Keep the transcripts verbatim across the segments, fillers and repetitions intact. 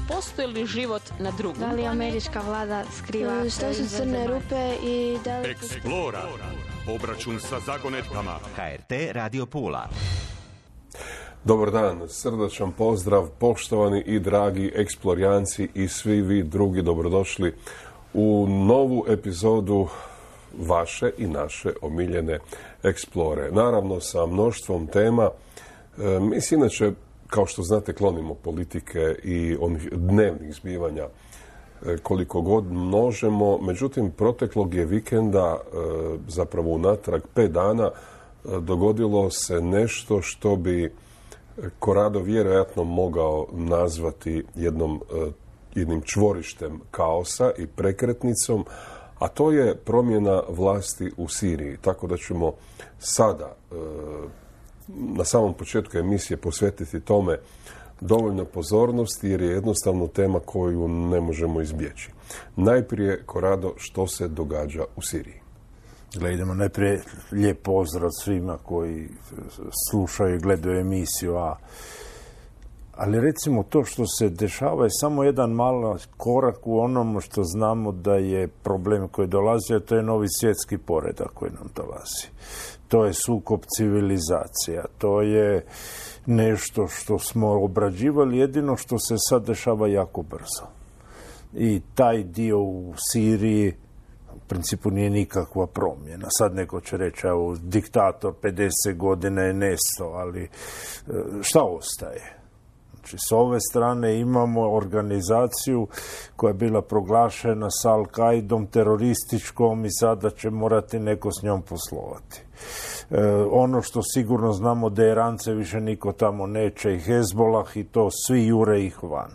postoji li život na drugom Da li američka vlada skriva... Što su crne rupe i da li... Eksplora. Obračun sa zagonetkama. H R T Radio Pula. Dobar dan, srdačan pozdrav, poštovani i dragi eksplorijanci i svi vi drugi, dobrodošli u novu epizodu vaše i naše omiljene Eksplore. Naravno sa mnoštvom tema. E, mi se inače, kao što znate, klonimo politike i onih dnevnih zbivanja e, koliko god možemo. Međutim, proteklog je vikenda, e, zapravo unatrag pet dana, e, dogodilo se nešto što bi Corrado vjerojatno mogao nazvati jednom, e, jednim čvorištem kaosa i prekretnicom, a to je promjena vlasti u Siriji. Tako da ćemo sada, e, na samom početku emisije, posvetiti tome dovoljno pozornosti, jer je jednostavno tema koju ne možemo izbjeći. Najprije, Corrado, što se događa u Siriji? Idemo najprije lijep pozdrav svima koji slušaju i gledaju emisiju, a ali recimo to što se dešava je samo jedan mali korak u onom što znamo da je problem koji dolazi, a to je novi svjetski poredak koji nam dolazi. To je sukob civilizacija, to je nešto što smo obrađivali, jedino što se sad dešava jako brzo. I taj dio u Siriji u principu nije nikakva promjena. Sad neko će reći, evo, diktator pedeset godina je nestao, ali šta ostaje? Znači, s ove strane imamo organizaciju koja je bila proglašena sa Al-Qaidom terorističkom i sada će morati neko s njom poslovati. E, ono što sigurno znamo da Irance više niko tamo neće i Hezbolah i to svi jure ih van.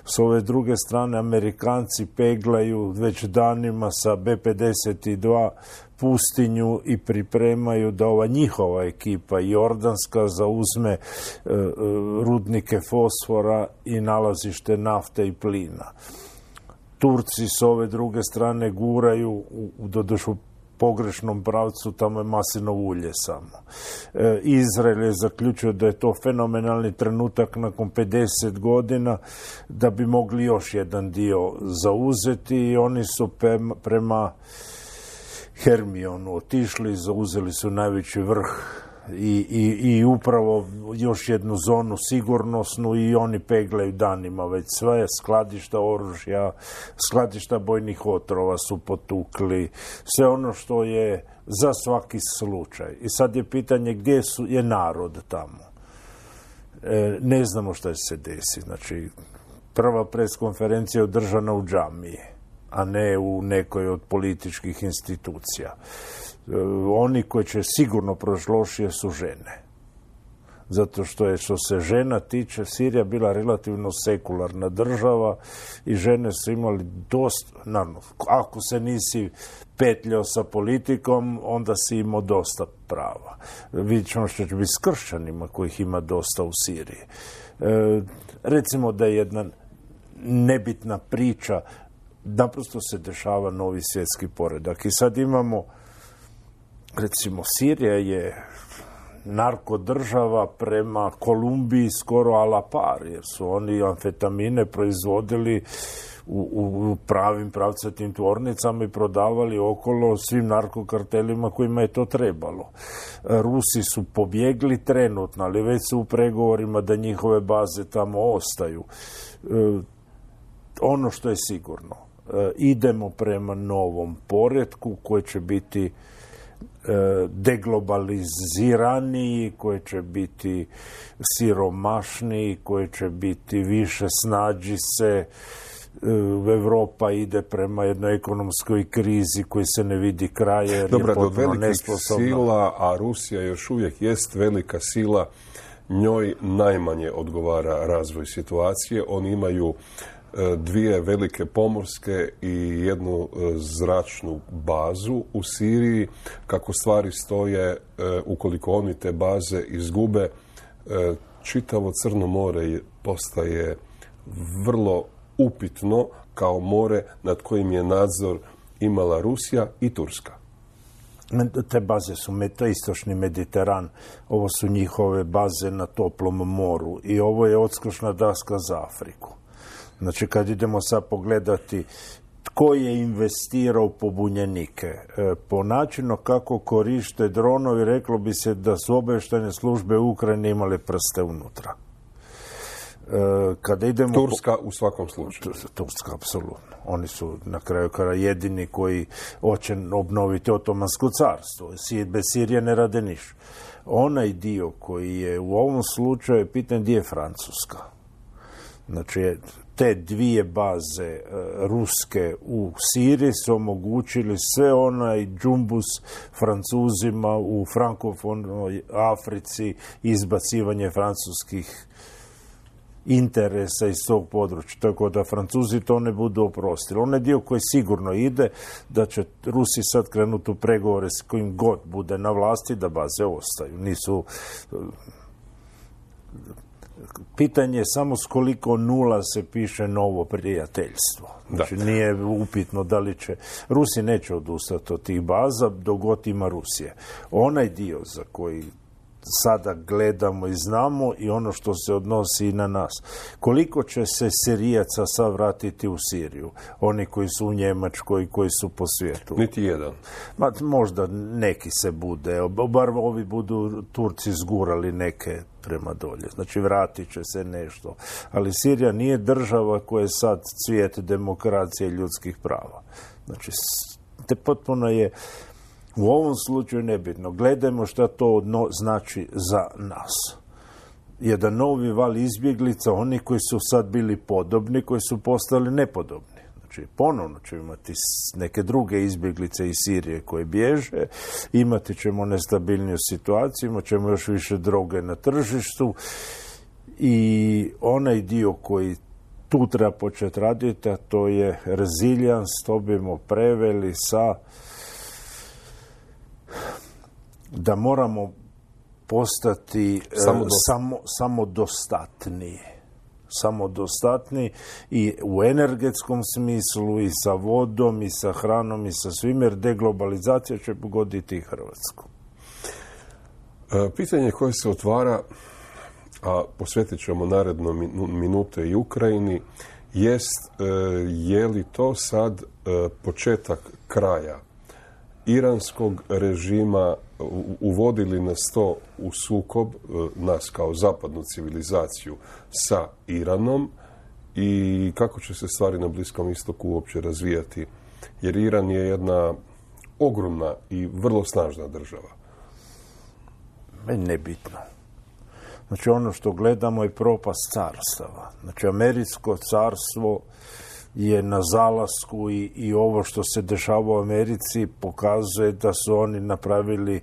S ove druge strane Amerikanci peglaju već danima sa be pedeset dva pustinju i pripremaju da ova njihova ekipa jordanska zauzme e, rudnike fosfora i nalazište nafte i plina. Turci s ove druge strane guraju u, u dodušu pogrešnom pravcu, tamo je maslinovo ulje samo. E, Izrael je zaključio da je to fenomenalni trenutak nakon pedeset godina da bi mogli još jedan dio zauzeti i oni su prema, prema Hermionu otišli, zauzeli su najveći vrh i, i, i upravo još jednu zonu sigurnosnu i oni peglaju danima već sve, skladišta oružja, skladišta bojnih otrova su potukli, sve ono što je za svaki slučaj. I sad je pitanje gdje su, je narod tamo. E, ne znamo što se desi. Znači, prva preskonferencija je održana u džamiji, a ne u nekoj od političkih institucija. E, oni koji će sigurno proći lošije su žene. Zato što je, što se žena tiče, Sirija bila relativno sekularna država i žene su imali dosta, naravno, ako se nisi petljao sa politikom, onda si imao dosta prava. Vidjet ćemo što će biti s kršćanima kojih ima dosta u Siriji. E, recimo da je jedna nebitna priča, naprosto se dešava novi svjetski poredak. I sad imamo, recimo, Sirija je narkodržava prema Kolumbiji skoro a la par, jer su oni amfetamine proizvodili u, u pravim pravcatim tvornicama i prodavali okolo svim narkokartelima kojima je to trebalo. Rusi su pobjegli trenutno, ali već su u pregovorima da njihove baze tamo ostaju. E, ono što je sigurno, e, idemo prema novom poretku koji će biti deglobaliziraniji, koji će biti siromašniji, koji će biti više snađi se. Evropa ide prema jednoj ekonomskoj krizi koji se ne vidi kraja jer Dobra, je potpuno nesposobna. Sila, a Rusija još uvijek jest velika sila, njoj najmanje odgovara razvoj situacije. Oni imaju dvije velike pomorske i jednu zračnu bazu u Siriji. Kako stvari stoje, ukoliko oni te baze izgube, čitavo Crno more postaje vrlo upitno kao more nad kojim je nadzor imala Rusija i Turska. Te baze su to istočni Mediteran, ovo su njihove baze na toplom moru i ovo je odskočna daska za Afriku. Znači, kad idemo sad pogledati tko je investirao u pobunjenike, e, po načinu kako koriste dronovi, reklo bi se da su obavještajne službe u Ukrajini imale prste unutra. E, kada idemo Turska u svakom slučaju. Turska, apsolutno. Oni su na kraju kraja jedini koji hoće obnoviti Otomansko carstvo. Bez Sirije ne rade ništa. Onaj dio koji je u ovom slučaju pitanje gdje je Francuska. Znači, te dvije baze e, ruske u Siriji su omogućili sve onaj džumbus Francuzima u frankofonoj Africi, izbacivanje francuskih interesa iz tog područja. Tako da Francuzi to ne budu oprostili. Onaj dio koji sigurno ide, da će Rusi sad krenuti u pregovore s kojim god bude na vlasti, da baze ostaju. Nisu... Pitanje je samo s koliko nula se piše novo prijateljstvo. Znači, da. Nije upitno da li će... Rusi neće odustati od tih baza dok god ima Rusije. Onaj dio za koji sada gledamo i znamo i ono što se odnosi i na nas. Koliko će se Sirijaca sad vratiti u Siriju? Oni koji su u Njemačkoj, koji su po svijetu. Niti jedan. Ma, možda neki se bude. Bar ovi budu Turci zgurali neke prema dolje. Znači, vratit će se nešto. Ali Sirija nije država koja je sad cvijet demokracije i ljudskih prava. Znači, te potpuno je u ovom slučaju nebitno. Gledajmo šta to znači za nas. Jedan novi val izbjeglica, oni koji su sad bili podobni, koji su postali nepodobni. Znači, ponovno ćemo imati neke druge izbjeglice iz Sirije koje bježe, imati ćemo nestabilniju situaciju, imat ćemo još više droge na tržištu i onaj dio koji tu treba početi raditi, a to je resilience, to bimo preveli sa da moramo postati samo, samodostatni. Samodostatni i u energetskom smislu i sa vodom i sa hranom i sa svim, jer deglobalizacija će pogoditi i Hrvatsku. Pitanje koje se otvara, a posvetit ćemo naredno minute i Ukrajini, jest je li to sad početak kraja iranskog režima, uvodili nas to u sukob, nas kao zapadnu civilizaciju, sa Iranom i kako će se stvari na Bliskom istoku uopće razvijati. Jer Iran je jedna ogromna i vrlo snažna država. Meni nebitno. Znači, ono što gledamo je propast carstava. Znači, američko carstvo je na zalasku i, i ovo što se dešava u Americi pokazuje da su oni napravili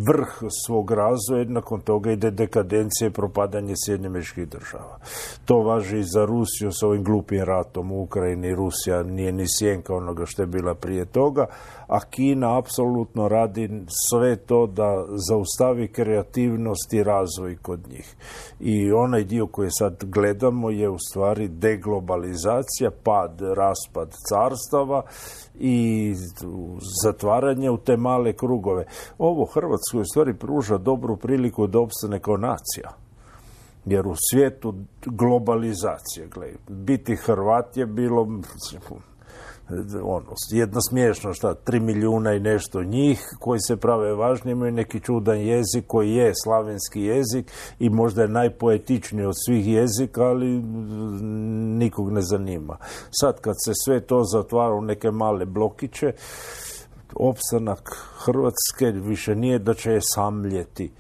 vrh svog razvoja, nakon toga ide dekadencija i propadanje Sjedinjenih Američkih Država. To važi i za Rusiju s ovim glupim ratom u Ukrajini. Rusija nije ni sjenka onoga što je bila prije toga, a Kina apsolutno radi sve to da zaustavi kreativnost i razvoj kod njih. I onaj dio koji sad gledamo je u stvari deglobalizacija, pad, raspad carstava i zatvaranje u te male krugove. Ovo Hrvatskoj u stvari pruža dobru priliku da opstane kao nacija. Jer u svijetu globalizacije, gledaj, biti Hrvat je bilo ono, jedno smiješno, šta, tri milijuna i nešto njih koji se prave važni, imaju neki čudan jezik koji je slavenski jezik i možda je najpoetičniji od svih jezika, ali nikog ne zanima. Sad kad se sve to zatvara u neke male blokiće, opstanak Hrvatske više nije da će je samljeti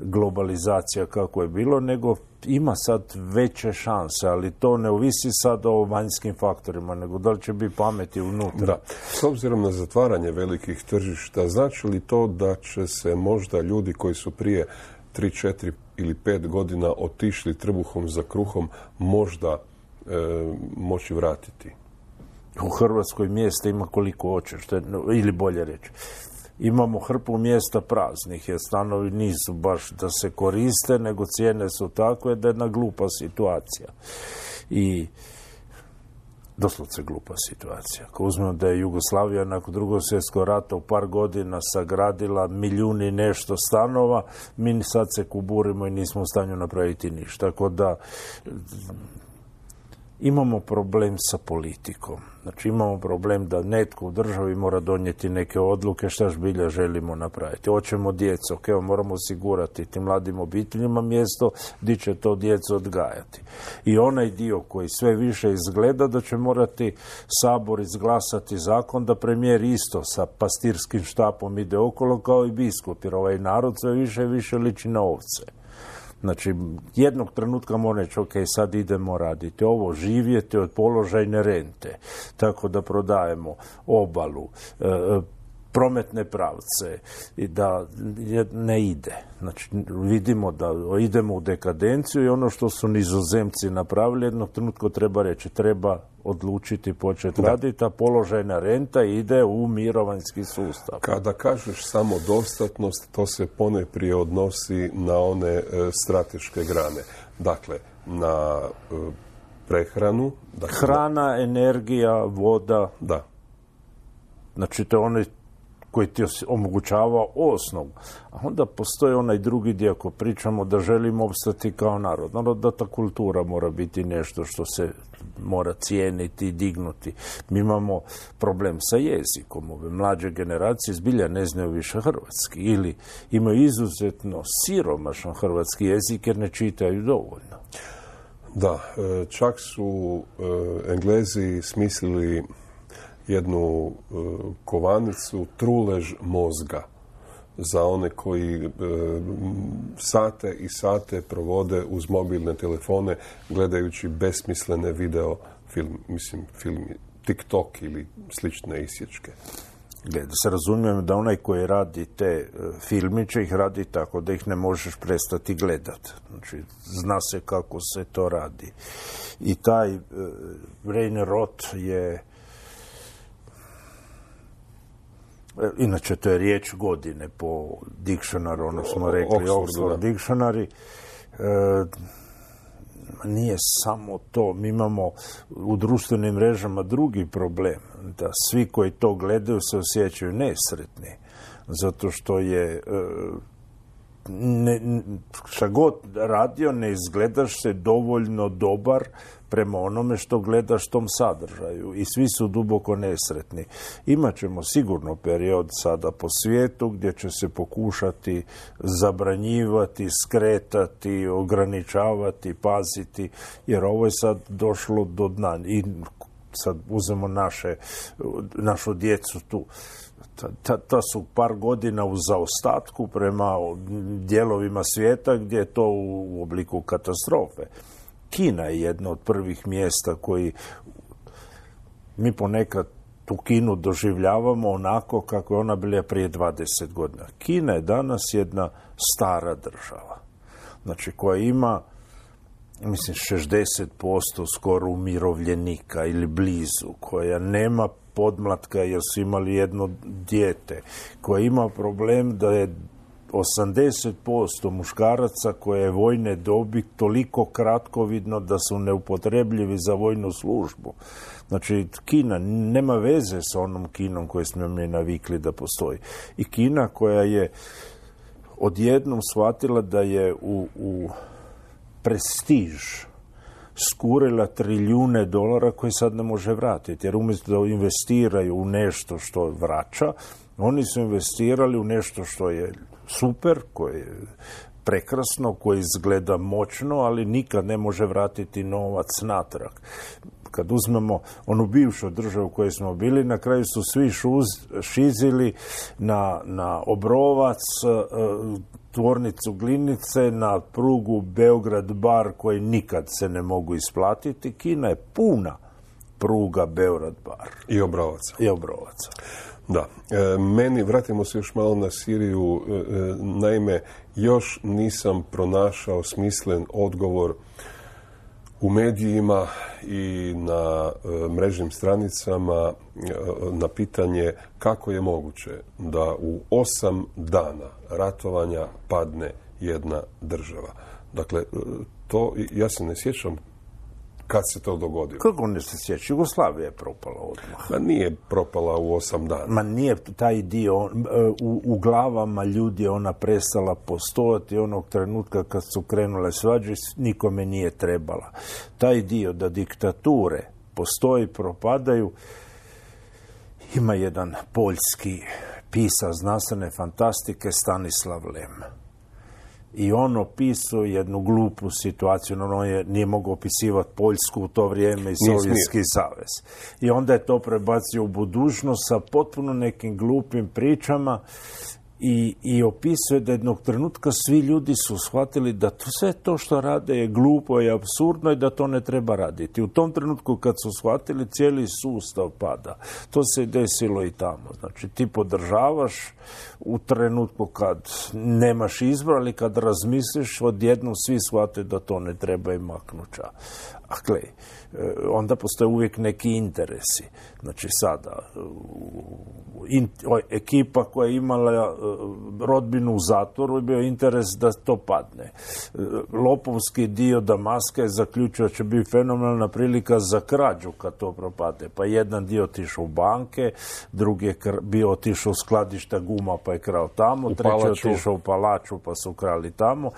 globalizacija kako je bilo, nego ima sad veće šanse, ali to ne ovisi sad o vanjskim faktorima, nego da li će biti pameti unutra. Da. S obzirom na zatvaranje velikih tržišta, znači li to da će se možda ljudi koji su prije tri, četiri ili pet godina otišli trbuhom za kruhom možda e, moći vratiti? U Hrvatskoj mjesta ima koliko hoće, što je, ili bolje reći. Imamo hrpu mjesta praznih, jer stanovi nisu baš da se koriste, nego cijene su takve da je jedna glupa situacija. I doslovce glupa situacija. Ako uzmemo da je Jugoslavija nakon drugog svjetskog rata u par godina sagradila milijuni nešto stanova, mi sad se kuburimo i nismo u stanju napraviti ništa. Tako da imamo problem sa politikom. Znači imamo problem da netko u državi mora donijeti neke odluke šta zbilja želimo napraviti. Hoćemo djecu, ok, moramo osigurati tim mladim obiteljima mjesto gdje će to djecu odgajati. I onaj dio koji sve više izgleda da će morati Sabor izglasati zakon da premijer isto sa pastirskim štapom ide okolo kao i biskup, jer ovaj narod sve više i više liči na ovce. Znači, jednog trenutka mora reći, ok, sad idemo raditi ovo, živjeti od položajne rente, tako da prodajemo obalu, e, prometne pravce i da ne ide. Znači, vidimo da idemo u dekadenciju i ono što su Nizozemci napravili, jednog trenutka treba reći, treba odlučiti početi raditi, a položajna renta ide u mirovanjski sustav. Kada kažeš samodostatnost, to se poneprije odnosi na one e, strateške grane. Dakle, na e, prehranu. Dakle, hrana, energija, voda. Da. Znači, to je onaj koji ti omogućava osnovu. A onda postoji onaj drugi dio, ako pričamo da želimo opstati kao narod. Naravno da ta kultura mora biti nešto što se mora cijeniti i dignuti. Mi imamo problem sa jezikom. Ove mlađe generacije zbilja ne znaju više hrvatski ili imaju izuzetno siromašan hrvatski jezik jer ne čitaju dovoljno. Da, čak su Englezi smislili jednu e, kovanicu, trulež mozga za one koji e, sate i sate provode uz mobilne telefone gledajući besmislene video film, mislim, film TikTok ili slične isječke. Da se razumijem da onaj koji radi te filmiće ih radi tako da ih ne možeš prestati gledati. Znači, zna se kako se to radi. I taj e, brain rot je inače, to je riječ godine po dictionary, ono smo rekli, Oxford Dictionary. E, nije samo to. Mi imamo u društvenim mrežama drugi problem. Da svi koji to gledaju se osjećaju nesretni. Zato što je ne, šta god radio, ne izgledaš se dovoljno dobar prema onome što gledaš tom sadržaju i svi su duboko nesretni. Imaćemo sigurno period sada po svijetu gdje će se pokušati zabranjivati, skretati, ograničavati, paziti, jer ovo je sad došlo do dna. I sad uzmemo naše, našu djecu tu. Ta, ta, ta su par godina u zaostatku prema dijelovima svijeta gdje je to u obliku katastrofe. Kina je jedno od prvih mjesta koji mi ponekad tu Kinu doživljavamo onako kako je ona bila prije dvadeset godina. Kina je danas jedna stara država, znači koja ima, mislim, šezdeset posto skoro umirovljenika ili blizu, koja nema podmlatka jer su imali jedno dijete, koja ima problem da je osamdeset posto muškaraca koje je vojne dobi toliko kratkovidno da su neupotrebljivi za vojnu službu. Znači, Kina nema veze sa onom Kinom koju smo mi navikli da postoji. I Kina koja je odjednom shvatila da je u, u prestiž skurila trilijune dolara koje sad ne može vratiti. Jer umjesto da investiraju u nešto što vraća, oni su investirali u nešto što je super, koje je prekrasno, koje izgleda moćno, ali nikad ne može vratiti novac natrag. Kad uzmemo onu bivšu državu u kojoj smo bili, na kraju su svi šuz, šizili na, na Obrovac, tvornicu Glinice, na prugu Beograd-Bar koji nikad se ne mogu isplatiti. Kina je puna pruga Beograd-Bar. I Obrovaca. I Obrovaca. Da. E, meni, vratimo se još malo na Siriju, e, naime, još nisam pronašao smislen odgovor u medijima i na e, mrežnim stranicama e, na pitanje kako je moguće da u osam dana ratovanja padne jedna država. Dakle, to, ja se ne sjećam kad se to dogodilo? Kako ne se sjeća? Jugoslavija je propala odmah. Ma nije propala u osam dana. Ma nije taj dio, u, u glavama ljudi je ona prestala postojati onog trenutka kad su krenule svađe, nikome nije trebala. Taj dio da diktature postoji, propadaju, ima jedan poljski pisac znanstvene fantastike Stanislav Lem. I on opisuje jednu glupu situaciju, ono je, nije mogao opisivati Poljsku u to vrijeme i Sovjetski savez. I onda je to prebacio u budućnost sa potpuno nekim glupim pričama i, i opisuje da jednog trenutka svi ljudi su shvatili da to, sve to što rade je glupo i apsurdno i da to ne treba raditi. U tom trenutku kad su shvatili, cijeli sustav pada. To se desilo i tamo. Znači ti podržavaš u trenutku kad nemaš izbora, ali kad razmisliš, odjednom svi shvate da to ne treba i maknuća. A gle, onda postoje uvijek neki interesi. Znači sada, in, o, ekipa koja je imala rodbinu u zatvoru je bio interes da to padne. Lopovski dio Damaska je zaključio da će biti fenomenalna prilika za krađu kad to propade. Pa jedan dio otišao u banke, drugi je bio otišao u skladišta guma pa je krao tamo, u treći je palaču. otišao u palaču pa su krali tamo.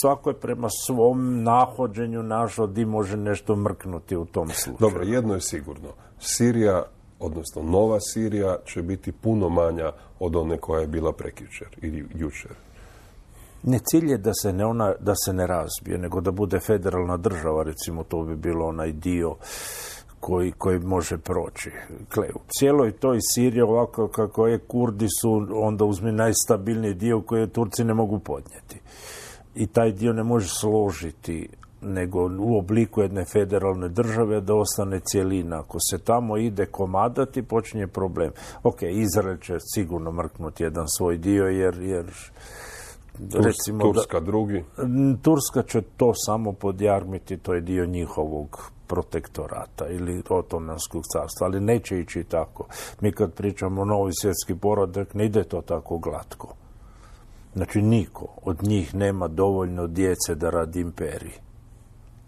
Svako je prema svom nahođenju našao di može nešto mrknuti u tom slučaju. Dobro, jedno je sigurno. Sirija, odnosno nova Sirija, će biti puno manja od one koja je bila prekjučer ili jučer. Ne, cilj je da se ne, ona, da se ne razbije, nego da bude federalna država, recimo to bi bilo onaj dio koji, koji može proći. Gle, u cijeloj toj Siriji, ovako kako je, Kurdi su onda uzmi najstabilniji dio koji Turci ne mogu podnijeti. I taj dio ne može složiti nego u obliku jedne federalne države da ostane cjelina. Ako se tamo ide komadati, počinje problem. Ok, Izrael će sigurno mrknuti jedan svoj dio, jer, jer recimo Turska da, drugi. Turska će to samo podjarmiti, to je dio njihovog protektorata ili Otomanskog carstva, ali neće ići tako. Mi kad pričamo o novi svjetski poredak, ne ide to tako glatko. Znači, niko od njih nema dovoljno djece da radi imperiji.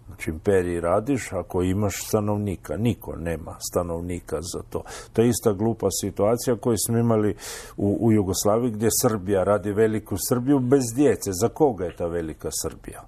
Znači, imperiji radiš ako imaš stanovnika. Niko nema stanovnika za to. To je ista glupa situacija koju smo imali u, u Jugoslaviji, gdje Srbija radi veliku Srbiju bez djece. Za koga je ta velika Srbija?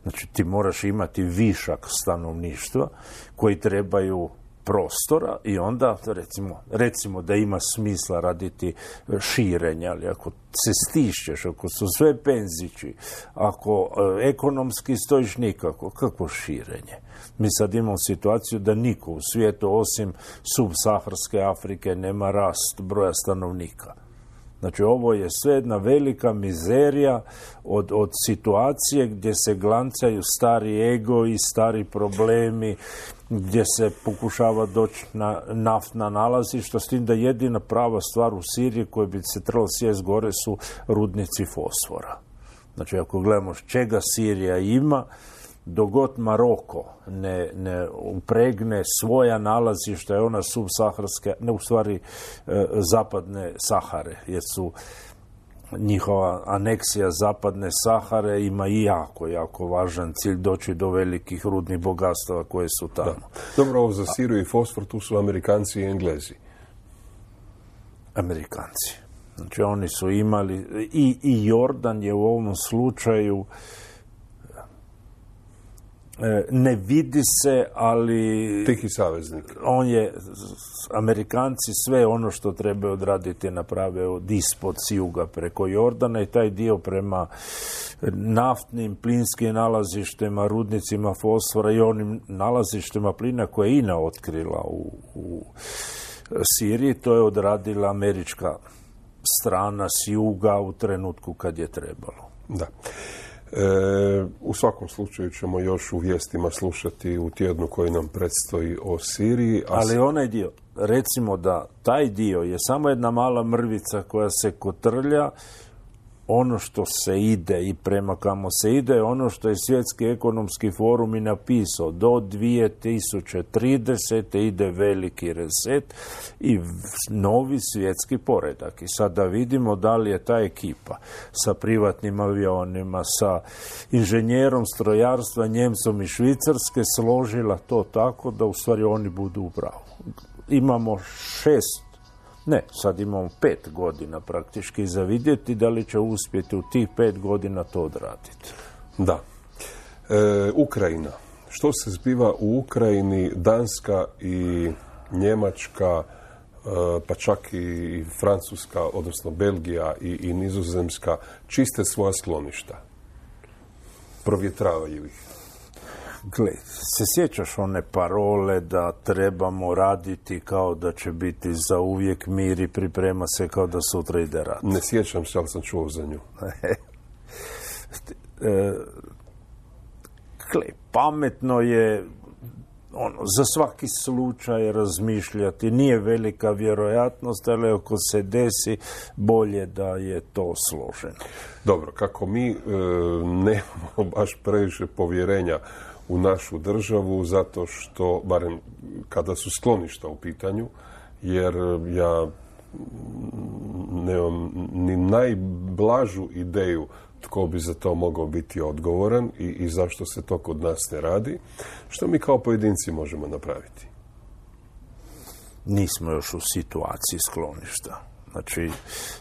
Znači, ti moraš imati višak stanovništva koji trebaju prostora i onda, recimo, recimo da ima smisla raditi širenja, ali ako se stišćeš, ako su sve penzići, ako e, ekonomski stojiš nikako, kako širenje? Mi sad imamo situaciju da niko u svijetu osim subsaharske Afrike nema rast broja stanovnika. Znači, ovo je sve jedna velika mizerija od, od situacije gdje se glancaju stari ego i stari problemi, gdje se pokušava doći na naftna nalazišta, s tim da jedina prava stvar u Siriji koja bi se trebala sjest gore su rudnici fosfora. Znači, ako gledamo čega Sirija ima, dogod Maroko ne, ne upregne svoja nalazišta, je ona subsaharske, ne u stvari e, zapadne Sahare, jer su njihova aneksija zapadne Sahare ima i jako, jako važan cilj doći do velikih rudnih bogatstava koje su tamo. Da. Dobro, ovo za Siriju i fosfor, tu su Amerikanci i Englezi. Amerikanci. Znači, oni su imali, i, i Jordan je u ovom slučaju, ne vidi se, ali tihi saveznik. On je, Amerikanci sve ono što treba odraditi naprave od ispod s juga preko Jordana i taj dio prema naftnim, plinskim nalazištima, rudnicima fosfora i onim nalazištima plina koje je Ina otkrila u, u Siriji, to je odradila američka strana s juga u trenutku kad je trebalo. Da. E, u svakom slučaju ćemo još u vijestima slušati u tjednu koji nam predstoji o Siriji. A ali onaj dio, recimo da taj dio je samo jedna mala mrvica koja se kotrlja ono što se ide i prema kamo se ide, ono što je Svjetski ekonomski forum i napisao, do dvije tisuće tridesete ide veliki reset i novi svjetski poredak. I sad da vidimo da li je ta ekipa sa privatnim avionima, sa inženjerom strojarstva, Njemcom i Švicarske složila to tako da u stvari oni budu u pravu. Imamo šest Ne, sad imamo pet godina praktički za vidjeti da li će uspjeti u tih pet godina to odraditi. Da. E, Ukrajina. Što se zbiva u Ukrajini? Danska i Njemačka, e, pa čak i Francuska, odnosno Belgija i, i Nizozemska, čiste svoja skloništa. Provjetravaju ih. Gle, se sjećaš one parole da trebamo raditi kao da će biti za uvijek mir i priprema se kao da sutra ide rat? Ne sjećam se, ali sam čuo za nju. e, gle, pametno je ono, za svaki slučaj razmišljati. Nije velika vjerojatnost, ali ako se desi, bolje da je to složeno. Dobro, kako mi e, nemamo baš previše povjerenja u našu državu, zato što, barem kada su skloništa u pitanju, jer ja nemam ni najblažu ideju tko bi za to mogao biti odgovoran i, i zašto se to kod nas ne radi, što mi kao pojedinci možemo napraviti. Nismo još u situaciji skloništa. Znači,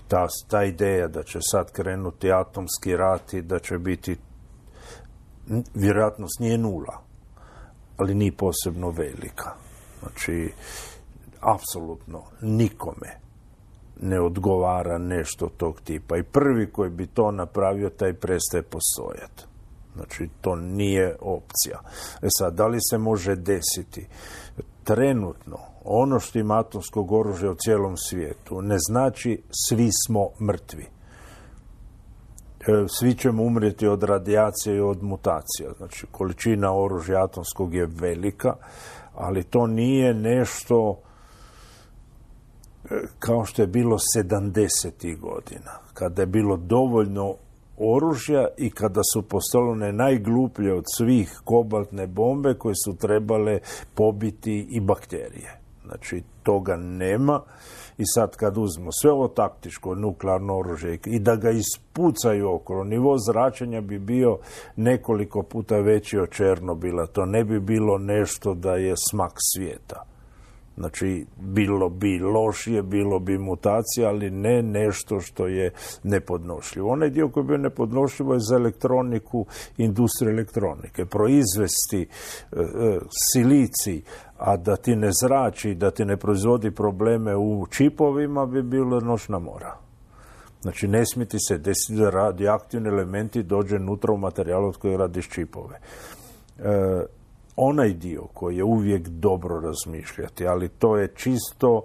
ta, ta ideja da će sad krenuti atomski rat i da će biti, vjerojatnost nije nula, ali nije posebno velika. Znači, apsolutno nikome ne odgovara nešto tog tipa. I prvi koji bi to napravio, taj prestaje postojati. Znači, to nije opcija. E sad, da li se može desiti? Trenutno, ono što ima atomskog oružja u cijelom svijetu, ne znači svi smo mrtvi. Svi ćemo umrijeti od radijacije i od mutacija. Znači, količina oružja atomskog je velika, ali to nije nešto kao što je bilo sedamdesetih godina, kada je bilo dovoljno oružja i kada su postojale najgluplje od svih kobaltne bombe koje su trebale pobiti i bakterije. Znači, toga nema. I sad kad uzmemo sve ovo taktičko nuklearno oružje i da ga ispucaju okolo, nivo zračenja bi bio nekoliko puta veći od Černobila. To ne bi bilo nešto da je smak svijeta. Znači, bilo bi lošije, bilo bi mutacija, ali ne nešto što je nepodnošljivo. Onaj dio koji je bio nepodnošljivo je za elektroniku, industriju elektronike. Proizvesti e, e, silicij, a da ti ne zrači, da ti ne proizvodi probleme u čipovima, bi bilo noćna mora. Znači, ne smije ti se desiti da radioaktivni elementi dođe unutra u materijalu od kojeg radiš čipove. E, onaj dio koji je uvijek dobro razmišljati, ali to je čisto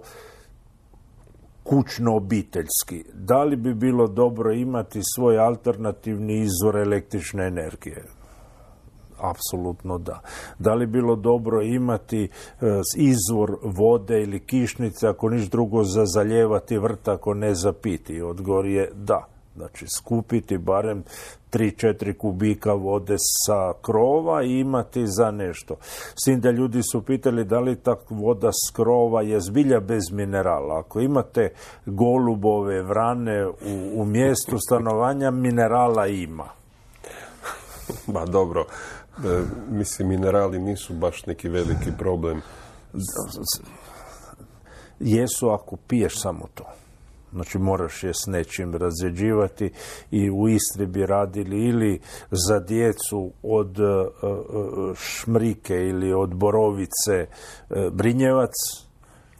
kućno-obiteljski. Da li bi bilo dobro imati svoj alternativni izvor električne energije? Apsolutno da. Da li bilo dobro imati e, izvor vode ili kišnice, ako niš drugo za zaljevati vrt, ako ne za piti? Odgovor je da. Znači, skupiti barem tri četiri kubika vode sa krova i imati za nešto. S tim da ljudi su pitali da li ta voda s krova je zbilja bez minerala. Ako imate golubove, vrane u, u mjestu stanovanja, minerala ima. Ba dobro, e, mislim, minerali nisu baš neki veliki problem. Jesu ako piješ samo to. Znači, moraš je s nečim razrjeđivati i u Istri bi radili ili za djecu od uh, šmrike ili od borovice uh, brinjevac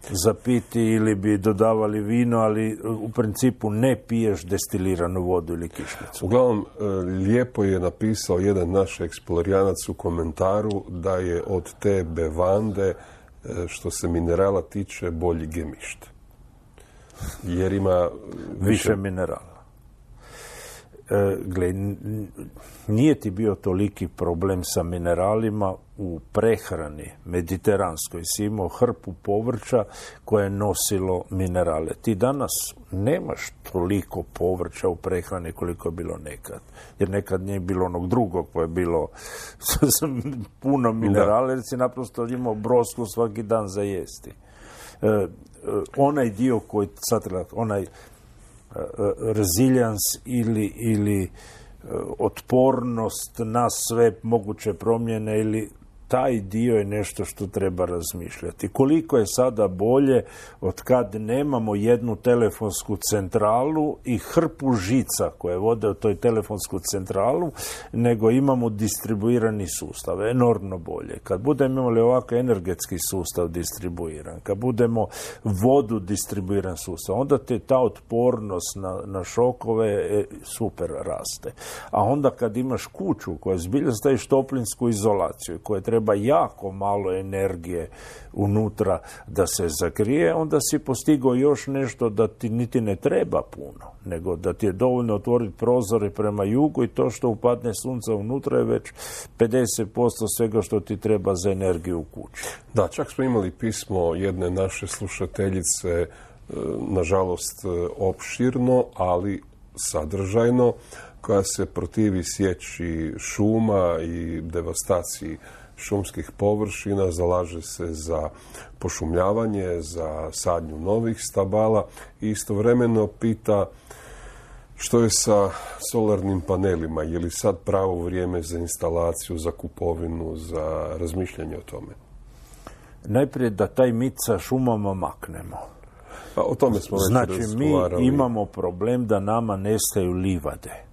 za piti ili bi dodavali vino, ali u principu ne piješ destiliranu vodu ili kišnicu. Uglavnom, lijepo je napisao jedan naš eksplorijanac u komentaru da je od te bevande, što se minerala tiče, bolji gemišt. Jer ima više, više minerala. gle, nije ti bio toliki problem sa mineralima u prehrani mediteranskoj. Si imao hrpu povrća koje je nosilo minerale. Ti danas nemaš toliko povrća u prehrani koliko je bilo nekad. Jer nekad nije bilo onog drugog koje je bilo puno minerale, jer si naprosto imao brosku svaki dan za jesti. E, onaj dio koji sad onaj resilience ili, ili otpornost na sve moguće promjene ili taj dio je nešto što treba razmišljati. Koliko je sada bolje od kad nemamo jednu telefonsku centralu i hrpu žica koje vode u toj telefonsku centralu, nego imamo distribuirani sustav. Enormno bolje. Kad budemo imali ovako energetski sustav distribuiran, kad budemo vodu distribuiran sustav, onda te ta otpornost na, na šokove e, super raste. A onda kad imaš kuću koja zbilja staviš toplinsku izolaciju, koja treba jako malo energije unutra da se zagrije, onda si postigao još nešto da ti niti ne treba puno, nego da ti je dovoljno otvoriti prozore prema jugu i to što upadne sunce unutra je već pedeset posto svega što ti treba za energiju u kući. Da, čak smo imali pismo jedne naše slušateljice, nažalost opširno, ali sadržajno, koja se protivi sječi šuma i devastaciji šumskih površina, zalaže se za pošumljavanje, za sadnju novih stabala i istovremeno pita što je sa solarnim panelima, je li sad pravo vrijeme za instalaciju, za kupovinu, za razmišljanje o tome? Najprije da taj mit sa šumama maknemo. Pa o tome smo već znači, razgovarali. Mi imamo problem da nama nestaju livade.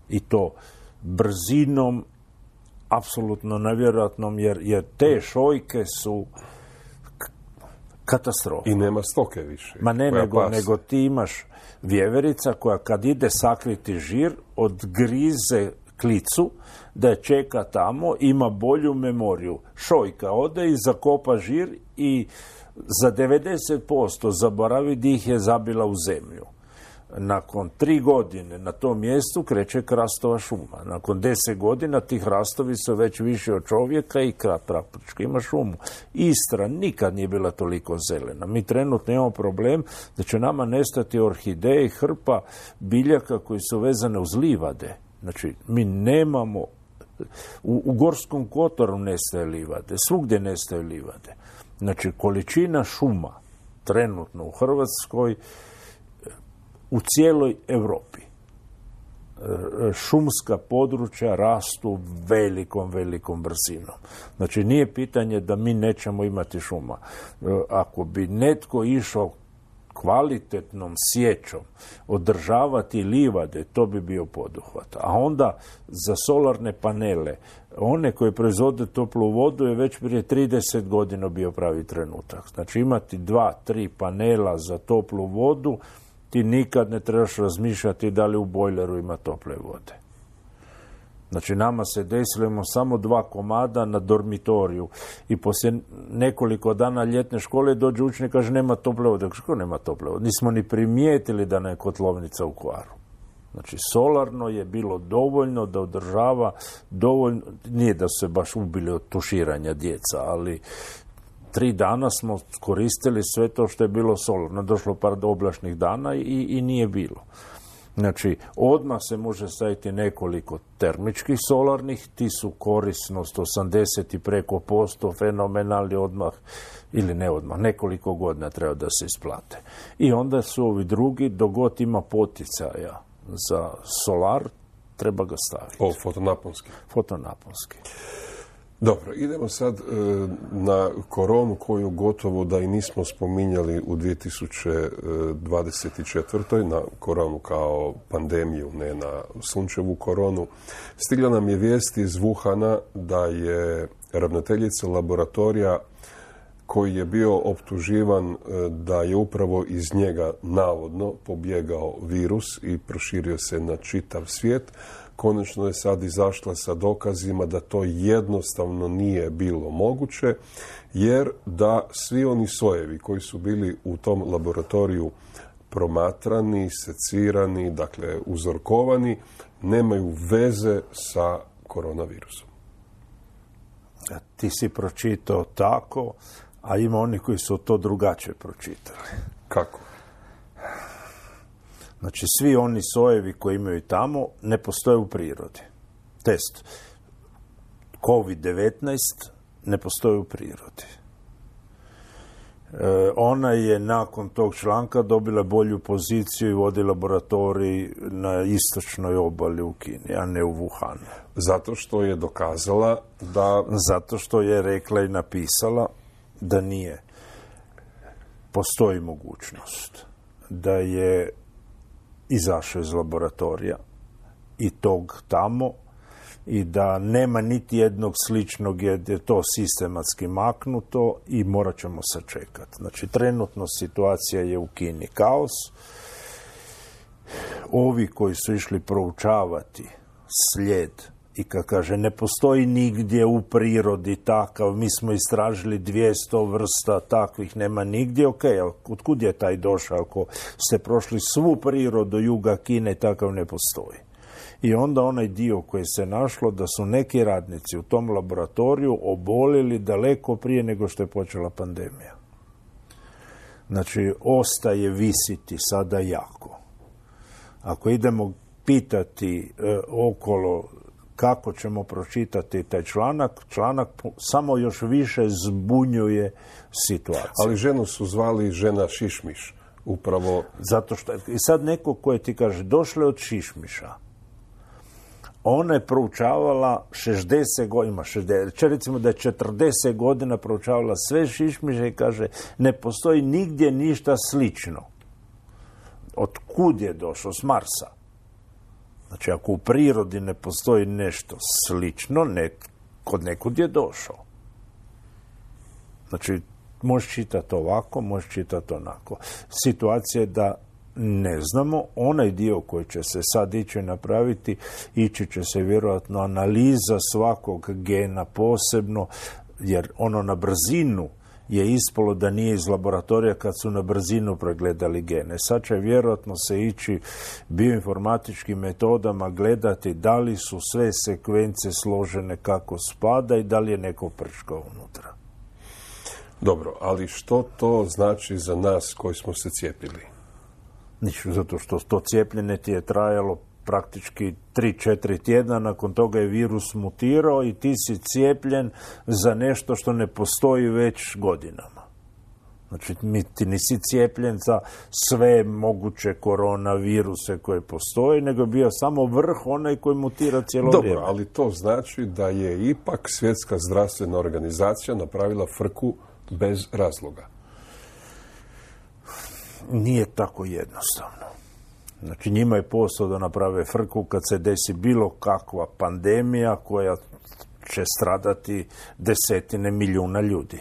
I to brzinom apsolutno nevjerojatnom, jer, jer te šojke su katastrofa. I nema stoke više. Ma ne, nego, nego ti imaš vjeverica koja kad ide sakriti žir, odgrize klicu, da je čeka tamo, ima bolju memoriju. Šojka ode i zakopa žir i za devedeset posto zaboravi di ih je zabila u zemlju. Nakon tri godine na tom mjestu kreće hrastova šuma. Nakon deset godina ti hrastovi su već više od čovjeka i praktički ima šumu. Istra nikad nije bila toliko zelena. Mi trenutno imamo problem da će nama nestati orhideje i hrpa biljaka koji su vezane uz livade. Znači, mi nemamo... U, u Gorskom kotaru nestaje livade, svugdje nestaje livade. Znači, količina šuma trenutno u Hrvatskoj, u cijeloj Europi, šumska područja rastu velikom, velikom brzinom. Znači, nije pitanje da mi nećemo imati šuma. Ako bi netko išao kvalitetnom sjećom održavati livade, to bi bio poduhvat. A onda za solarne panele, one koje proizvode toplu vodu je već prije trideset godina bio pravi trenutak. Znači, imati dva, tri panela za toplu vodu, ti nikad ne trebaš razmišljati da li u bojleru ima tople vode. Znači, nama se desilo, imamo samo dva komada na dormitoriju i poslije nekoliko dana ljetne škole dođe učenik i kaže nema tople vode. Kako nema tople vode? Nismo ni primijetili da je kotlovnica u kvaru. Znači, solarno je bilo dovoljno da održava dovoljno, nije da su se baš ubili od tuširanja djeca, ali tri dana smo koristili sve to što je bilo solarno. Došlo par oblačnih dana i, i nije bilo. Znači, odmah se može staviti nekoliko termičkih solarnih, ti su korisnost osamdeset i preko posto, fenomenalni odmah, ili ne odmah, nekoliko godina treba da se isplate. I onda su ovi drugi, dogod ima poticaja za solar, treba ga staviti. O, fotonaponski. Fotonaponski. Dobro, idemo sad e, na koronu koju gotovo da i nismo spominjali u dvije tisuće dvadeset četvrtoj. Na koronu kao pandemiju, ne na sunčevu koronu. Stigla nam je vijest iz Wuhana da je ravnateljica laboratorija koji je bio optuživan da je upravo iz njega navodno pobjegao virus i proširio se na čitav svijet, konačno je sad izašla sa dokazima da to jednostavno nije bilo moguće, jer da svi oni sojevi koji su bili u tom laboratoriju promatrani, secirani, dakle uzorkovani, nemaju veze sa koronavirusom. Ti si pročitao tako, a ima oni koji su to drugačije pročitali. Kako? Znači, svi oni sojevi koji imaju tamo ne postoje u prirodi. Test kovid devetnaest ne postoji u prirodi. E, ona je nakon tog članka dobila bolju poziciju i vodi laboratorij na istočnoj obali u Kini, a ne u Wuhanu. Zato što je dokazala da... Zato što je rekla i napisala da nije. Postoji mogućnost da je izašao iz laboratorija i tog tamo i da nema niti jednog sličnog, jer je to sistematski maknuto i morat ćemo sačekati. Znači, trenutno situacija je u Kini kaos. Ovi koji su išli proučavati slijed i kad kaže ne postoji nigdje u prirodi takav, mi smo istražili dvjesto vrsta takvih, nema nigdje, ok, otkud je taj došao? Ako ste prošli svu prirodu juga Kine, takav ne postoji. I onda onaj dio koji se našlo da su neki radnici u tom laboratoriju obolili daleko prije nego što je počela pandemija. Znači, ostaje visiti sada jako. Ako idemo pitati e, okolo kako ćemo pročitati taj članak, članak samo još više zbunjuje situaciju. Ali ženu su zvali žena Šišmiš, upravo... Zato što, i sad neko koje ti kaže, došle od Šišmiša, ona je proučavala šezdeset godina, šezdeset, recimo da je četrdeset godina proučavala sve šišmiše i kaže, ne postoji nigdje ništa slično. Od kud je došao? S Marsa. Znači, ako u prirodi ne postoji nešto slično, ne, kod nekud je došao. Znači, možeš čitati ovako, možeš čitati onako. Situacija je da ne znamo, onaj dio koji će se sad ići napraviti, ići će se vjerojatno analiza svakog gena posebno, jer ono na brzinu je ispalo da nije iz laboratorija kad su na brzinu pregledali gene. Sad će vjerojatno se ići bioinformatičkim metodama gledati da li su sve sekvence složene kako spada i da li je neko prčkao unutra. Dobro, ali što to znači za nas koji smo se cijepili? Ništa, zato što to cijepljenje ti je trajalo praktički tri četiri tjedna, nakon toga je virus mutirao i ti si cijepljen za nešto što ne postoji već godinama. Znači, ti nisi cijepljen za sve moguće koronaviruse koje postoje, nego je bio samo vrh onaj koji mutira cijelo Dobro, vrijeme. Dobro, ali to znači da je ipak Svjetska zdravstvena organizacija napravila frku bez razloga. Nije tako jednostavno. Znači, njima je posao da naprave frku kad se desi bilo kakva pandemija koja će stradati desetine milijuna ljudi.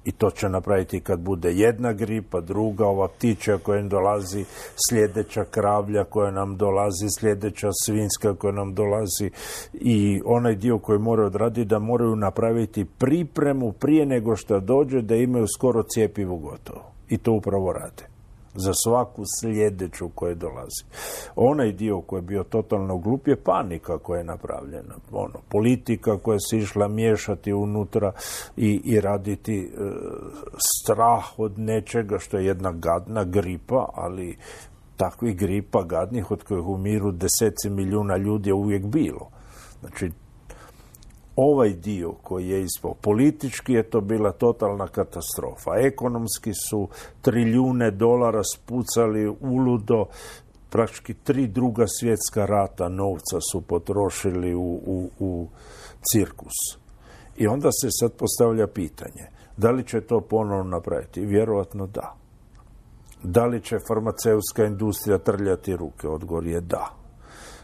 I to će napraviti kad bude jedna gripa, druga, ova ptičja koja nam dolazi, sljedeća kravlja koja nam dolazi, sljedeća svinjska koja nam dolazi i onaj dio koji moraju odraditi da moraju napraviti pripremu prije nego što dođe da imaju skoro cjepivo gotovo. I to upravo rade. Za svaku sljedeću koja dolazi. Onaj dio koji je bio totalno glup je panika koja je napravljena. Ono, politika koja se išla miješati unutra i, i raditi e, strah od nečega što je jedna gadna gripa, ali takvih gripa gadnih od kojih umiru deseci milijuna ljudi je uvijek bilo. Znači, ovaj dio koji je ispao politički je to bila totalna katastrofa. Ekonomski su trilijune dolara spucali uludo, praktički tri druga svjetska rata novca su potrošili u, u, u cirkus. I onda se sad postavlja pitanje, da li će to ponovno napraviti? Vjerojatno da. Da li će farmaceutska industrija trljati ruke? Odgovor je da.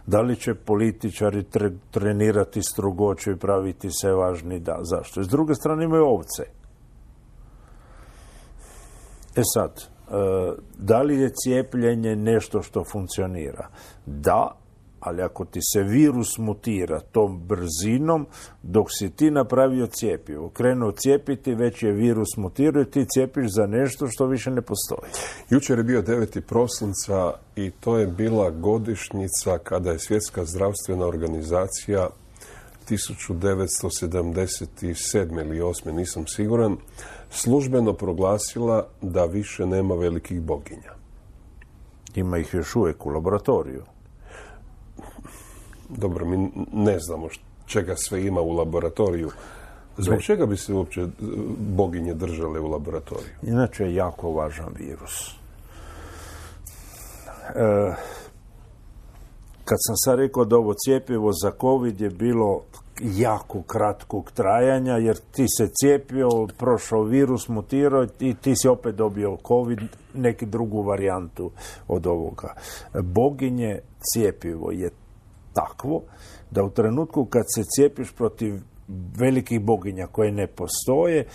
Da li će političari tre, trenirati strogoću i praviti se važni? Da. Zašto? S druge strane imaju ovce. E sad, e, da li je cijepljenje nešto što funkcionira? Da, ali ako ti se virus mutira tom brzinom, dok si ti napravio cjepivo, krenuo cijepiti, već je virus mutirao i ti cijepiš za nešto što više ne postoji. Jučer je bio deveti prosinca i to je bila godišnjica kada je Svjetska zdravstvena organizacija tisuću devetsto sedamdeset sedme ili osme, nisam siguran, službeno proglasila da više nema velikih boginja. Ima ih još uvijek u laboratoriju. Dobro, mi ne znamo čega sve ima u laboratoriju. Zbog čega bi se uopće boginje držale u laboratoriju? Inače je jako važan virus. E, kad sam sad rekao da ovo cjepivo za COVID je bilo jako kratkog trajanja, jer ti se cijepio, prošao virus, mutirao i ti si opet dobio COVID, neki drugu varijantu od ovoga. Boginje cjepivo je takvo da u trenutku kad se cijepiš protiv velikih boginja koje ne postoje,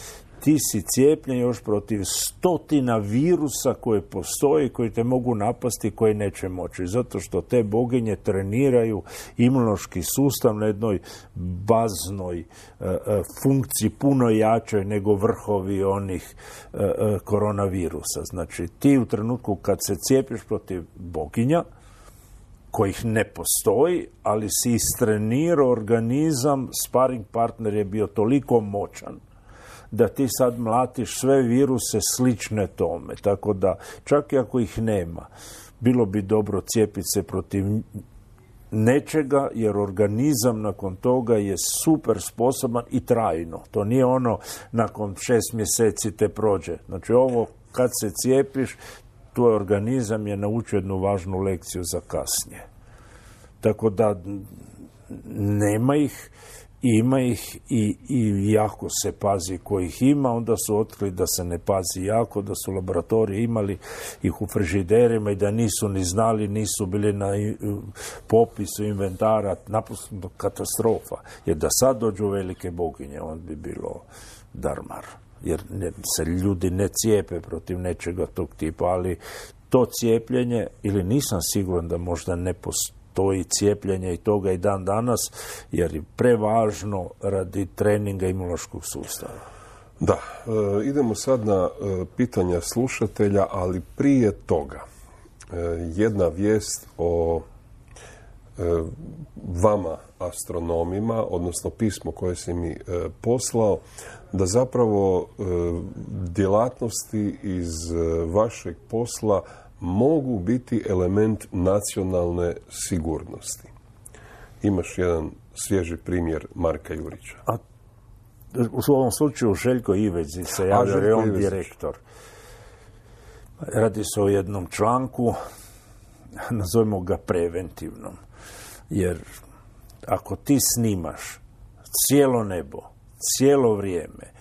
ti si cijepljen još protiv stotina virusa koje postoje, koji te mogu napasti, koji neće moći. Zato što te boginje treniraju imunološki sustav na jednoj baznoj uh, funkciji puno jačoj nego vrhovi onih uh, koronavirusa. Znači, ti u trenutku kad se cijepiš protiv boginja, kojih ne postoji, ali si istrenirao organizam, sparing partner je bio toliko moćan da ti sad mlatiš sve viruse slične tome. Tako da, čak i ako ih nema, bilo bi dobro cijepiti se protiv nečega, jer organizam nakon toga je super sposoban i trajno. To nije ono nakon šest mjeseci te prođe. Znači, ovo kad se cijepiš, tvoj organizam je naučio jednu važnu lekciju za kasnije. Tako da nema ih, ima ih i, i jako se pazi kojih ima. Onda su otkrili da se ne pazi jako, da su laboratoriji imali ih u frižiderima i da nisu ni znali, nisu bili na popisu inventara. Naprosto katastrofa. Jer da sad dođu velike boginje, on bi bilo darmar. Jer ne, se ljudi ne cijepe protiv nečega tog tipa, ali to cijepljenje, ili nisam siguran da možda ne postoji cijepljenje i toga i dan danas, jer je prevažno radi treninga imunološkog sustava. Da, e, idemo sad na e, pitanja slušatelja, ali prije toga e, jedna vijest o e, vama astronomima, odnosno pismo koje si mi e, poslao, da zapravo e, djelatnosti iz e, vašeg posla mogu biti element nacionalne sigurnosti. Imaš jedan svježi primjer Marka Jurića. A u ovom slučaju Željko Ivezić se javlja, jer je on direktor. Radi se o jednom članku, nazovimo ga preventivnom. Jer ako ti snimaš cijelo nebo, cijelo vrijeme,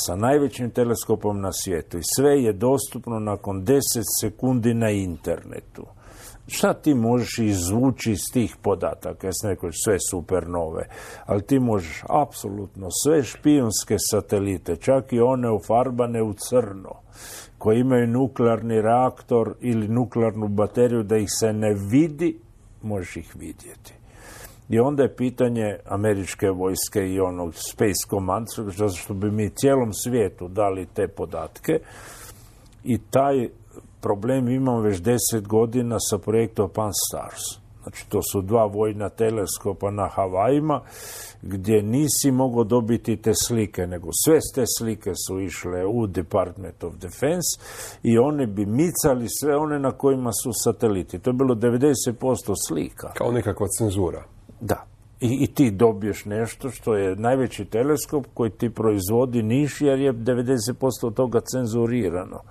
sa najvećim teleskopom na svijetu i sve je dostupno nakon deset sekundi na internetu, šta ti možeš izvući iz tih podataka? Ja sam rekao sve supernove, ali ti možeš apsolutno sve špijunske satelite, čak i one ufarbane u crno, koji imaju nuklearni reaktor ili nuklearnu bateriju da ih se ne vidi, možeš ih vidjeti. I onda je pitanje američke vojske i onog Space Command, zato što bi mi cijelom svijetu dali te podatke, i taj problem imamo već deset godina sa projektom Pan-STARRS. Znači, to su dva vojna teleskopa na Havajima, gdje nisi mogao dobiti te slike, nego sve te slike su išle u Department of Defense i oni bi micali sve one na kojima su sateliti. To je bilo devedeset posto slika. Kao nekakva cenzura. Da. I, I ti dobiješ nešto što je najveći teleskop koji ti proizvodi niš, jer je devedeset posto od toga cenzurirano.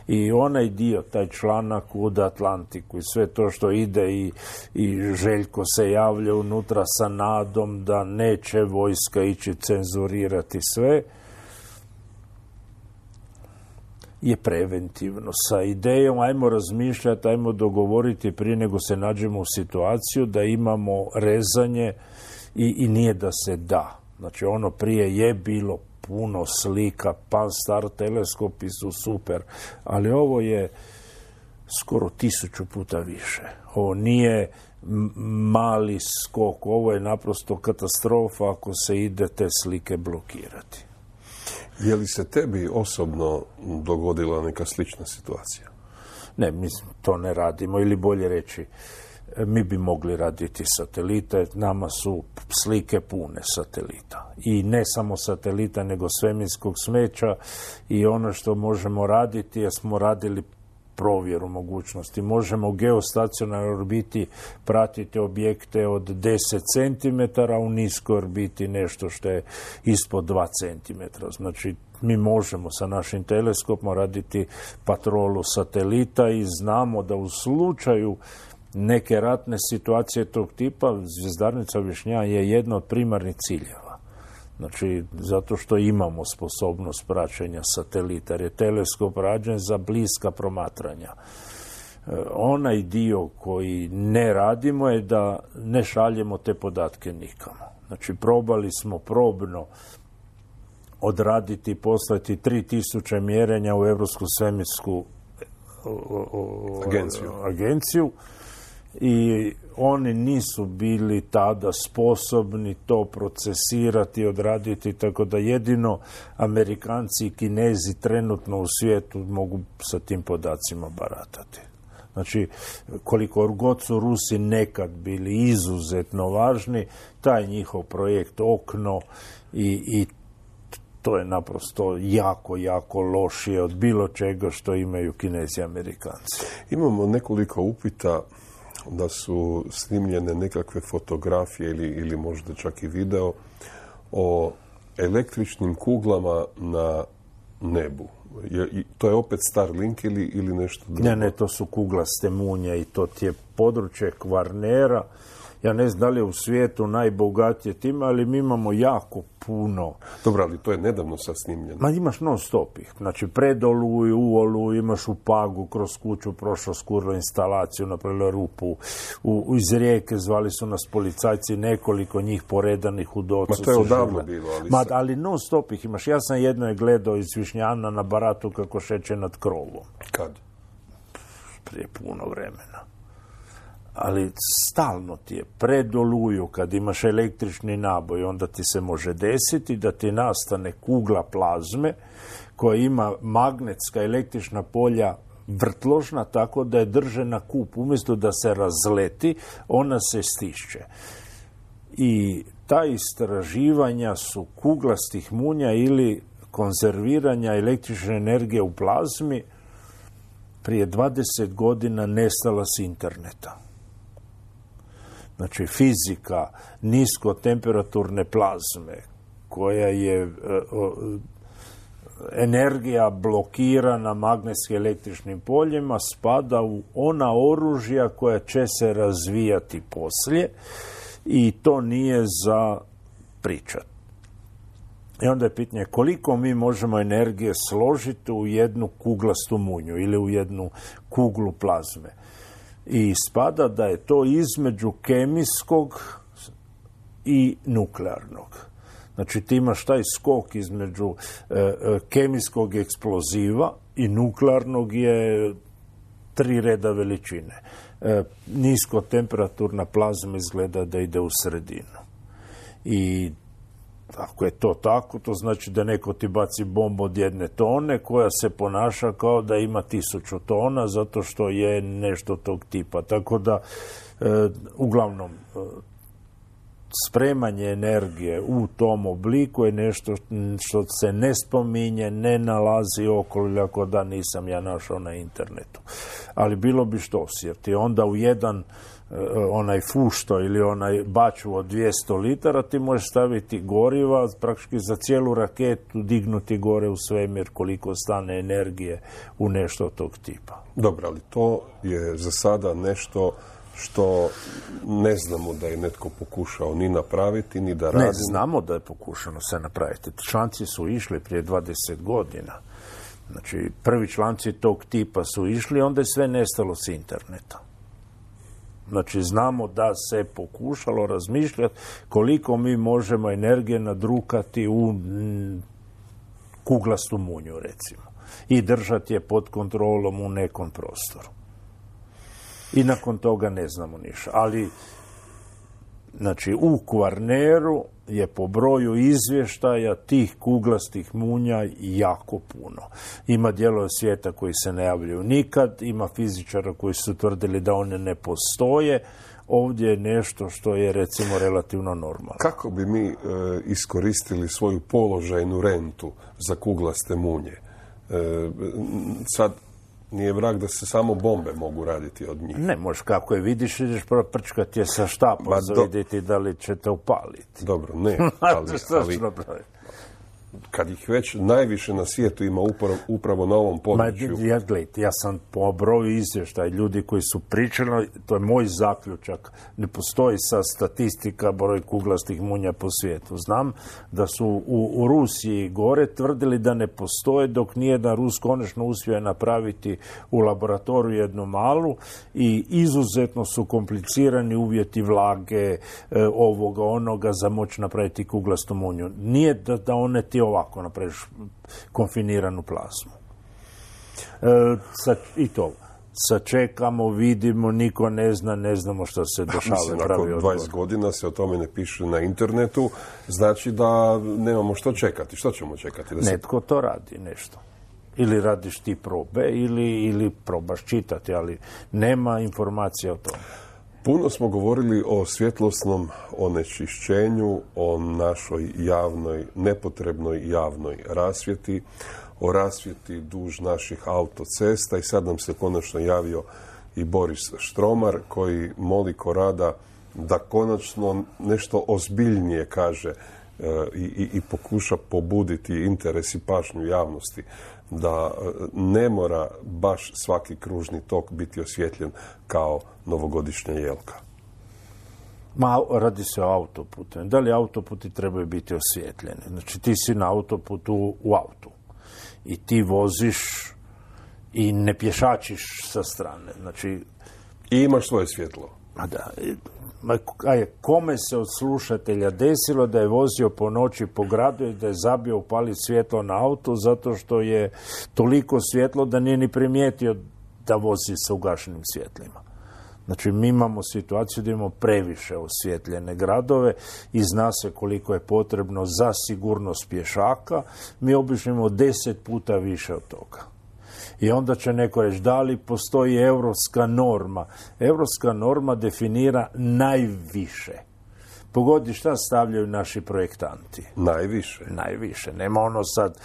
I onaj dio, taj članak u The Atlantiku i sve to što ide i, i Željko se javlja unutra sa nadom da neće vojska ići cenzurirati sve, je preventivno. Sa idejom ajmo razmišljati, ajmo dogovoriti prije nego se nađemo u situaciju da imamo rezanje i, i nije da se da. Znači, ono prije je bilo puno slika, Pan-STARRS teleskopi su super, ali ovo je skoro tisuću puta više. Ovo nije mali skok, ovo je naprosto katastrofa ako se ide te slike blokirati. Je li se tebi osobno dogodila neka slična situacija? Ne, mi to ne radimo, ili bolje reći, mi bi mogli raditi satelite, nama su slike pune satelita. I ne samo satelita, nego svemirskog smeća i ono što možemo raditi, jer smo radili provjeru mogućnosti. Možemo u geostacionarnoj orbiti pratiti objekte od deset centimetara, u niskoj orbiti nešto što je ispod dva centimetra. Znači, mi možemo sa našim teleskopom raditi patrolu satelita i znamo da u slučaju neke ratne situacije tog tipa zvjezdarnica Višnja je jedna od primarnih ciljeva. Znači, zato što imamo sposobnost praćenja satelita, jer je teleskop rađen za bliska promatranja. E, onaj dio koji ne radimo je da ne šaljemo te podatke nikamo. Znači, probali smo probno odraditi i poslati tri tisuće mjerenja u Europsku svemirsku agenciju. agenciju i oni nisu bili tada sposobni to procesirati, odraditi, tako da jedino Amerikanci i Kinezi trenutno u svijetu mogu sa tim podacima baratati. Znači, koliko god su Rusi nekad bili izuzetno važni, taj njihov projekt Okno i, i to je naprosto jako, jako lošije od bilo čega što imaju Kinezi i Amerikanci. Imamo nekoliko upita da su snimljene nekakve fotografije ili, ili možda čak i video o električnim kuglama na nebu. Je, to je opet Starlink ili, ili nešto drugo? Ne, ne, to su kuglaste munje i to ti je područje Kvarnera. Ja ne znam da li je u svijetu najbogatije time, ali mi imamo jako puno. Dobro, ali to je nedavno sad snimljeno. Ma imaš non stop ih. Znači, pred Oluju, u Oluju, imaš u Pagu, kroz kuću prošlo skurlo instalaciju, napravili rupu. U, iz Rijeke zvali su nas policajci, nekoliko njih poredanih u Docu. Ma to je odavno bilo. Ali, Ma, ali non stop ih imaš. Ja sam jedno je gledao iz Višnjana na baratu kako šeće nad krovom. Kad? Prije puno vremena. Ali stalno ti je pred Oluju, kad imaš električni naboj, onda ti se može desiti da ti nastane kugla plazme koja ima magnetska električna polja vrtložna, tako da je drže na kup. Umjesto da se razleti, ona se stišće. I ta istraživanja su kuglastih munja ili konzerviranja električne energije u plazmi prije dvadeset godina nestala s interneta. Znači, fizika niskotemperaturne plazme, koja je e, o, energija blokirana magnetskim električnim poljima, spada u ona oružja koja će se razvijati poslije i to nije za pričat. I onda je pitanje koliko mi možemo energije složiti u jednu kuglastu munju ili u jednu kuglu plazme. I spada da je to između kemijskog i nuklearnog. Znači, ti imaš taj skok između e, kemijskog eksploziva i nuklearnog je tri reda veličine. E, niskotemperaturna plazma izgleda da ide u sredinu. I ako je to tako, to znači da neko ti baci bombu od jedne tone koja se ponaša kao da ima tisuću tona zato što je nešto tog tipa. Tako da, e, uglavnom, e, spremanje energije u tom obliku je nešto što se ne spominje, ne nalazi okolo, ako da nisam ja našao na internetu. Ali bilo bi što, jer ti onda u jedan onaj fušto ili onaj baču od dvjesto litara ti možeš staviti goriva, praktički za cijelu raketu dignuti gore u svemir koliko stane energije u nešto tog tipa. Dobro, ali to je za sada nešto što ne znamo da je netko pokušao ni napraviti, ni da radi. Ne, znamo da je pokušano se napraviti. Članci su išli prije dvadeset godina. Znači, prvi članci tog tipa su išli, onda je sve nestalo s interneta. Znači, znamo da se pokušalo razmišljati koliko mi možemo energije nadrukati u kuglastu munju, recimo. I držati je pod kontrolom u nekom prostoru. I nakon toga ne znamo ništa. Ali, znači, u Kvarneru je po broju izvještaja tih kuglastih munja jako puno. Ima dijelova svijeta koji se ne javljaju nikad, ima fizičara koji su tvrdili da one ne postoje. Ovdje je nešto što je, recimo, relativno normalno. Kako bi mi e, iskoristili svoju položajnu rentu za kuglaste munje? E, sad, nije vrag da se samo bombe mogu raditi od njih. Ne, možeš kako je vidiš, ideš prčkati je sa štapom za do... vidjeti da li će te upaliti. Dobro, ne, ali, ali kad ih već najviše na svijetu ima upravo, upravo na ovom području. Ma, ja, gledajte, ja sam po broju izvještaja ljudi koji su pričali, to je moj zaključak, ne postoji sa statistika broj kuglastih munja po svijetu. Znam da su u, u Rusiji gore tvrdili da ne postoje dok nijedan Rus konačno uspio napraviti u laboratoriju jednu malu i izuzetno su komplicirani uvjeti vlage, e, ovoga, onoga za moći napraviti kuglastu munju. Nije da, da one ti ovako napraviš konfiniranu plazmu. E, sa, I to. Sačekamo, vidimo, niko ne zna, ne znamo što se dešava. Mislim, nakon dvadeset godina se o tome ne piše na internetu, znači da nemamo što čekati. Što ćemo čekati? Da se... Netko to radi, nešto. Ili radiš ti probe, ili, ili probaš čitati, ali nema informacija o tome. Puno smo govorili o svjetlosnom onečišćenju, o našoj javnoj, nepotrebnoj javnoj rasvjeti, o rasvjeti duž naših autocesta i sad nam se konačno javio i Boris Štromar koji moli Korada da konačno nešto ozbiljnije kaže e, i, i pokuša pobuditi interes i pažnju javnosti da ne mora baš svaki kružni tok biti osvjetljen kao novogodišnja jelka. Ma, radi se o autoputu. Da li autoputi trebaju biti osvjetljeni? Znači, ti si na autoputu u autu i ti voziš i ne pješačiš sa strane. Znači, i imaš svoje svjetlo. A da, a je, kome se od slušatelja desilo da je vozio po noći po gradu i da je zabio upaliti svjetlo na auto zato što je toliko svjetlo da nije ni primijetio da vozi sa ugašenim svjetlima. Znači, mi imamo situaciju da imamo previše osvjetljene gradove i zna se koliko je potrebno za sigurnost pješaka. Mi obično imamo deset puta više od toga. I onda će neko reći, da li postoji europska norma? Europska norma definira najviše. Pogodi šta stavljaju naši projektanti. Najviše. Najviše. Nema ono sad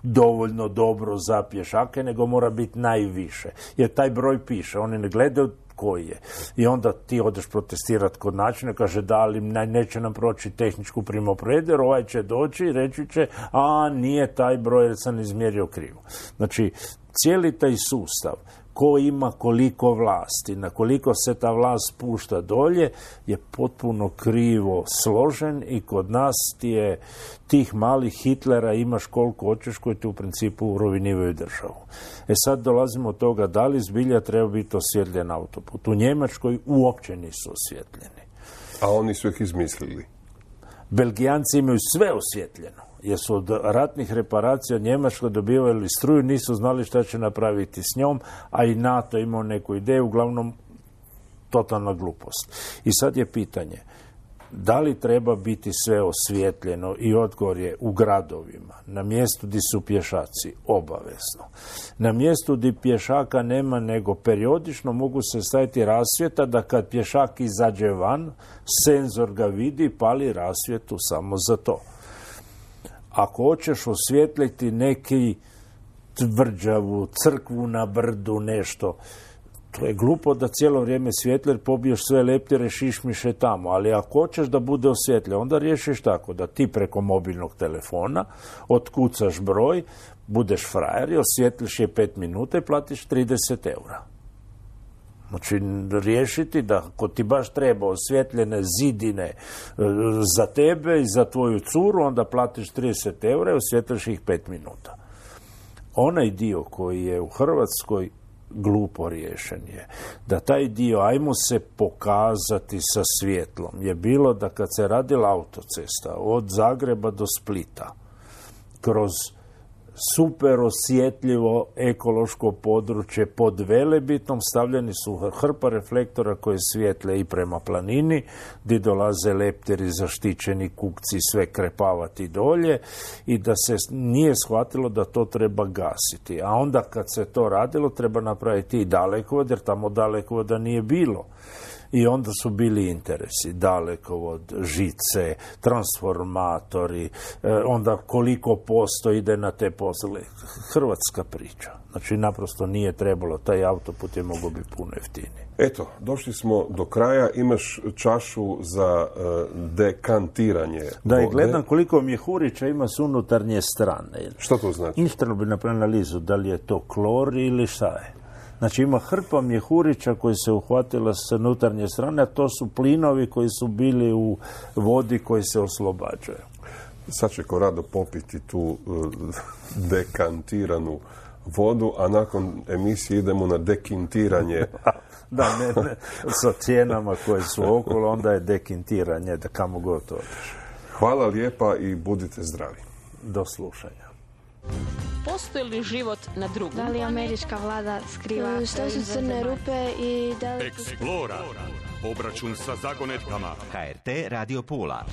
dovoljno dobro za pješake, nego mora biti najviše. Jer taj broj piše, oni ne gledaju koji je. I onda ti odeš protestirati kod načina, kaže da, ali neće nam proći tehničku primopredu, jer ovaj će doći i reći će, a nije taj broj jer sam izmjerio krivo. Znači, cijeli taj sustav, ko ima koliko vlasti, na koliko se ta vlast pušta dolje, je potpuno krivo složen i kod nas ti je tih malih Hitlera imaš koliko hoćeš koji ti u principu urovinivaju državu. E sad dolazimo od toga da li zbilja treba biti osvjetljen autoput. U Njemačkoj uopće nisu osvjetljeni. A oni su ih izmislili. Belgijanci imaju sve osvjetljeno. Jer su od ratnih reparacija Njemačko dobivali struju, nisu znali šta će napraviti s njom, a i NATO imao neku ideju, uglavnom totalna glupost. I sad je pitanje, da li treba biti sve osvjetljeno i odgovor je u gradovima, na mjestu gdje su pješaci, obavezno. Na mjestu gdje pješaka nema, nego periodično mogu se staviti rasvjeta da kad pješak izađe van, senzor ga vidi, pali rasvjetu samo za to. Ako hoćeš osvijetliti neki tvrđavu, crkvu na brdu, nešto, to je glupo da cijelo vrijeme svijetli jer pobiješ sve leptire, šišmiše tamo. Ali ako hoćeš da bude osvjetljen, onda riješiš tako da ti preko mobilnog telefona otkucaš broj, budeš frajer i osvjetliš je pet minuta i platiš trideset eura. Znači, riješiti da ako ti baš treba osvjetljene zidine za tebe i za tvoju curu, onda platiš trideset eura i osvjetliš ih pet minuta. Onaj dio koji je u Hrvatskoj glupo riješen je da taj dio, ajmo se pokazati sa svjetlom, je bilo da kad se radila autocesta od Zagreba do Splita, kroz super osjetljivo ekološko područje pod Velebitom, stavljeni su hrpa reflektora koje svijetle i prema planini, gdje dolaze lepteri, zaštićeni kukci, sve krepavati dolje i da se nije shvatilo da to treba gasiti. A onda kad se to radilo treba napraviti i dalekovod, jer tamo dalekovoda nije bilo. I onda su bili interesi, dalekovod, žice, transformatori, onda koliko posto ide na te poslove. Hrvatska priča. Znači, naprosto nije trebalo, taj autoput je mogao biti puno jeftiniji. Eto, došli smo do kraja, imaš čašu za uh, dekantiranje Da, vode. I gledam koliko mjehurića ima s unutarnje strane. Što to znači? Ništa bi napravili analizu, da li je to klor ili šta je. Znači ima hrpa mjehurića koji se uhvatila s unutarnje strane, a to su plinovi koji su bili u vodi koji se oslobađaju. Sad će ko rado popiti tu uh, dekantiranu vodu, a nakon emisije idemo na dekintiranje. Da, ne, ne, sa cijenama koje su okolo, onda je dekintiranje, da kamo god to odeš. Hvala lijepa i budite zdravi. Do slušanja. Postoji li život na drugom? Da li američka vlada skriva? Što su crne rupe i da li... Eksplora. Obračun sa zagonetkama. H R T Radio Pula.